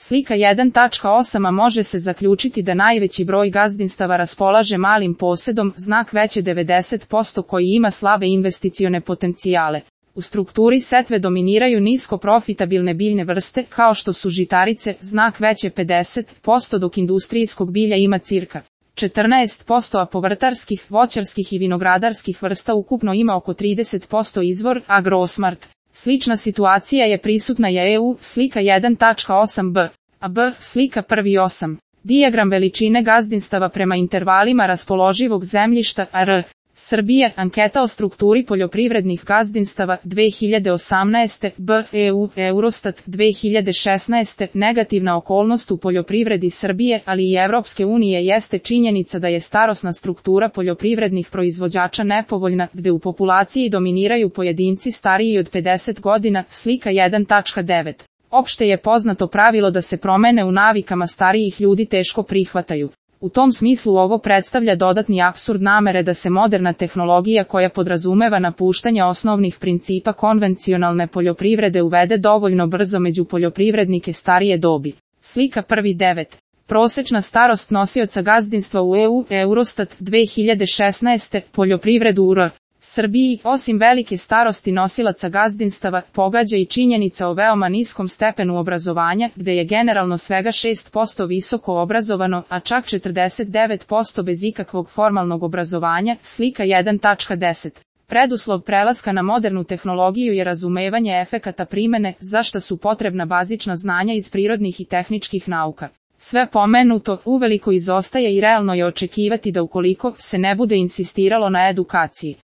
Slika 1.8 može se zaključiti da najveći broj gazdinstava raspolaže malim posedom, znak veće 90% koji ima slabe investicione potencijale. U strukturi setve dominiraju nisko profitabilne biljne vrste, kao što su žitarice, znak veće 50%, dok industrijskog bilja ima cirka 14%, a povrtarskih, voćarskih i vinogradarskih vrsta ukupno ima oko 30%. Izvor Agrosmart. Slična situacija je prisutna i EU, slika 1.8b. A B, slika 1.8. Dijagram veličine gazdinstava prema intervalima raspoloživog zemljišta, AR. Srbije, anketa o strukturi poljoprivrednih gazdinstava 2018. B. EU, Eurostat 2016. Negativna okolnost u poljoprivredi Srbije, ali i Evropske unije jeste činjenica da je starosna struktura poljoprivrednih proizvođača nepovoljna, gde u populaciji dominiraju pojedinci stariji od 50 godina, slika 1.9. Opšte je poznato pravilo da se promene u navikama starijih ljudi teško prihvataju. U tom smislu ovo predstavlja dodatni apsurd namere da se moderna tehnologija koja podrazumeva napuštanje osnovnih principa konvencionalne poljoprivrede uvede dovoljno brzo među poljoprivrednike starije dobi. Slika 1.9. Prosečna starost nosioca gazdinstva u EU, Eurostat 2016. Poljoprivredu u R. Srbiji, osim velike starosti nosilaca gazdinstava, pogađa i činjenica o veoma niskom stepenu obrazovanja, gde je generalno svega 6% visoko obrazovano, a čak 49% bez ikakvog formalnog obrazovanja, slika 1.10. Preduslov prelaska na modernu tehnologiju je razumevanje efekata primene, za šta su potrebna bazična znanja iz prirodnih i tehničkih nauka. Sve pomenuto uveliko izostaje i realno je očekivati da ukoliko se ne bude insistiralo na edukaciji